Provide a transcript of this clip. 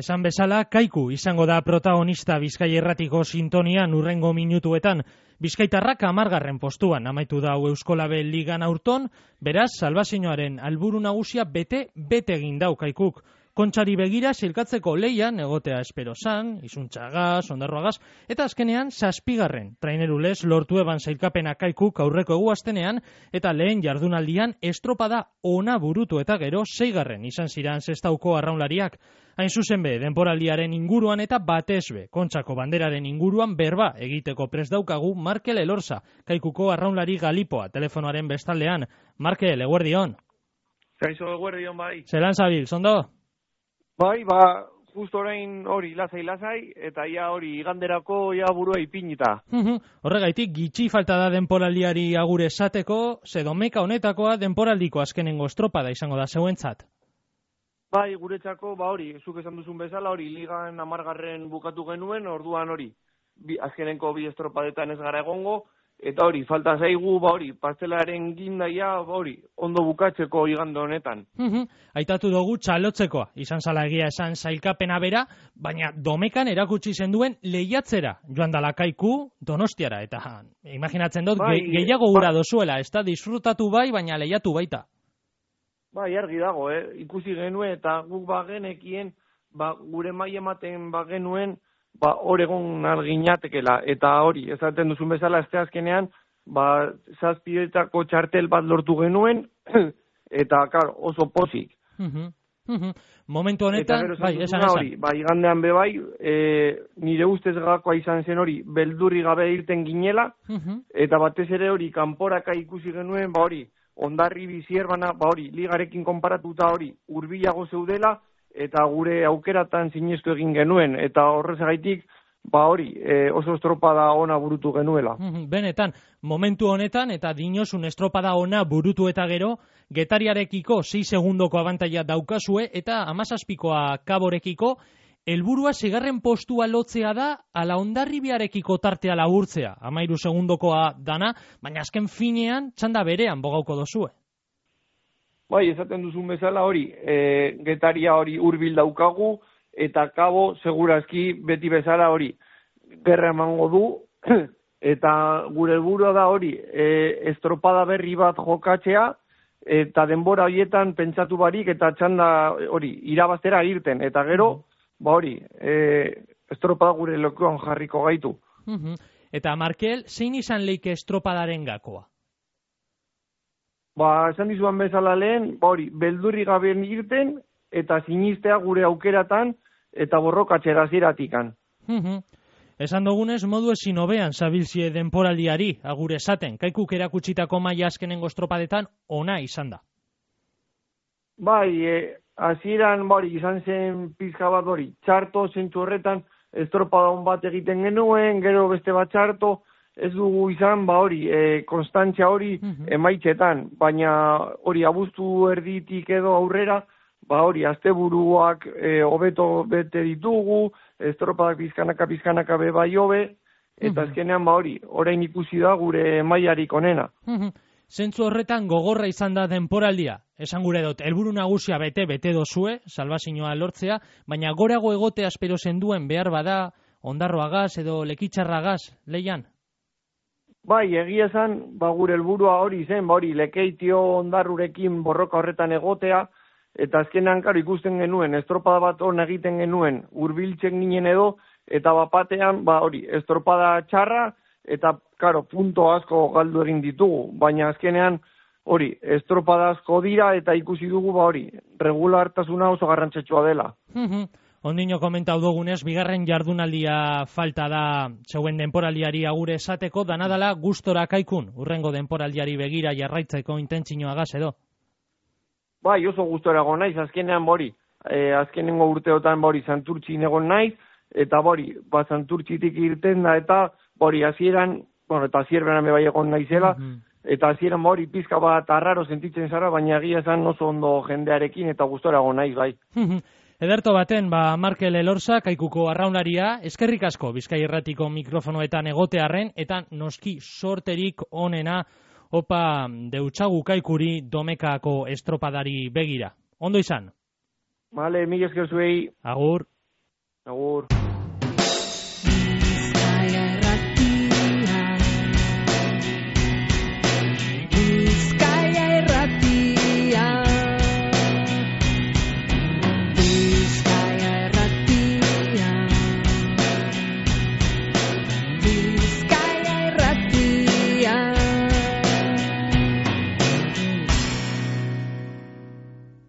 Esan bezala, Kaiku izango da protagonista Bizkai Irratiko sintonian hurrengo minutuetan. Bizkaitarrak 10. postuan amaitu da Euskolabel Ligan aurton, beraz, Salvazioaren alburu nagusia bete egin dau Kaikuk. Kontxari begira silkatzeko leian egotea espero zan, izuntxagaz, ondarroagaz, eta azkenean 7. Trainerulez lortu eban sailkapena Kaikuk aurreko eguaztenean, eta lehen jardunaldian estropada ona burutu eta gero 6. izan ziran zestauko arraunlariak. Hain zuzen be, denporaldiaren inguruan eta batez be, Kontxako banderaren inguruan berba egiteko prest daukagu Markel Elorza, Kaikuko arraunlari Galipoa, telefonoaren bestaldean. Markel, eguerdion. Kaixo, eguerdion bai. Zelan zabil, zondo? Bai, justo orain hori lasai, eta ia hori iganderako ia burua ipinita. Horregaitik, gitxi falta da denporaldiari agure esateko, ze domeka honetakoa denporaldiko azkenengo estropada izango da zeuentzat. Bai, guretzako, hori, zuk esan duzun bezala, hori, ligan 10. bukatu genuen, orduan hori, azkenenko 2 estropadetan ez gara egongo, eta hori, falta zaigu, hori, pastelaren gindaia, hori, ondo bukatzeko igande honetan. Aitatu dugu txalotzekoa, izan zala egia esan sailkapena bera, baina domekan erakutsi zenduen lehiatzera, joan dala Kaiku Donostiara, eta imaginatzen dut, gehiago gura dozuela, ez da, disfrutatu bai, baina lehiatu baita. Bai, argi dago, ikusi genuen, eta guk bagenekien, gure mai ematen bagenuen, Oregon arginatekela, eta hori, esaten duzun bezala, azte azkenean, 7 txartel bat lortu genuen, eta, oso pozik. Momentu honetan, esan. Hori, igandean bebai, nire ustez gakoa izan zen hori, beldurri gabe irten ginela, eta batez ere hori, kanporaka ikusi genuen, hori, Ondarri bizierbana, hori, ligarekin konparatuta hori, hurbilago zeudela, eta gure aukeratan sinestu egin genuen, eta horrezagaitik, hori, oso estropada ona burutu genuela. Benetan, momentu honetan, eta dinosun estropada ona burutu eta gero, Getariarekiko 6 segundoko abantaila daukazue, eta 17koa Kaborekiko, helburua 6. postua lotzea da, ala Hondarribiarekiko tartea laburtzea, 13 segundokoa dana, baina azken finean, txanda berean bogauko dozue. Bai, esaten duzun bezala hori, Getaria hori hurbil daukagu, eta Kabo segurazki beti bezala hori gerra emango du, eta gure helburua da hori, estropada berri bat jokatzea, eta denbora horietan pentsatu barik, eta txanda hori, irabaztera irten, eta gero, hori, estropada gure lokuan jarriko gaitu. Eta Markel, zein izan leike estropadaren gakoa? Esan dizuan bezala lehen, hori, beldurri gabe irten, eta sinistea gure aukeratan, eta borrokatzera ziratikan. Esan dugunez, modu ezin hobean zabilzie denporaldiari, agure esaten, Kaikuk erakutsitako maila azkenengo estropadetan ona izan da. Bai, hasieran izan zen pizka bat hori, txarto zentzu horretan, estropada hon bat egiten genuen, gero beste bat txarto, ez dugu izan, hori, konstantzia hori emaitzetan, baina hori abuztu erditik edo aurrera, hori, asteburuak hobeto bete ditugu, estropadak pizkanaka bai hobe, eta azkenean hori, orain ikusi da gure mailarik onena. Zentzu horretan gogorra izan da denporaldia, esan gure dut, helburu nagusia bete dozue, Salvazioa lortzea, baina gorago egotea espero zenduen behar bada, Ondarroagaz edo Lekitxarragaz, leian? Bai, egia esan, gure helburua hori zen, hori, Lekeitio Ondarrurekin borroka horretan egotea, eta azkenean, ikusten genuen, estropada bat hon egiten genuen, hurbiltzen ginen edo, eta bapatean, hori, estropada txarra, eta, punto asko galdu egin ditugu, baina azkenean, hori, estropada asko dira, eta ikusi dugu, hori, regulartasuna oso garrantzetsua dela. Ondino komentau dugunez, 2. jardunaldia falta da zeuen denporaldiari agure esateko, danadala gustora Kaikun, urrengo denporaldiari begira jarraitzeko intentzinoagaz edo? Bai, oso gustora egon naiz, azkenean azkenengo urteotan Santurtzin egon naiz, eta Santurtzitik irten da, eta hasieran, eta hasierberan bai egon naizela, eta hasieran pizka bat arraro sentitzen zara, baina egia esan oso ondo jendearekin, eta gustora egon naiz, bai. Ederto baten, Markel Elorza, Kaikuko arraunaria, eskerrik asko Bizkai Irratiko mikrofonoetan egotearren, eta noski sorterik onena, opa deutsagu Kaikuri domekako estropadari begira. Ondo izan? Vale, mila esker zuei. Agur. Agur.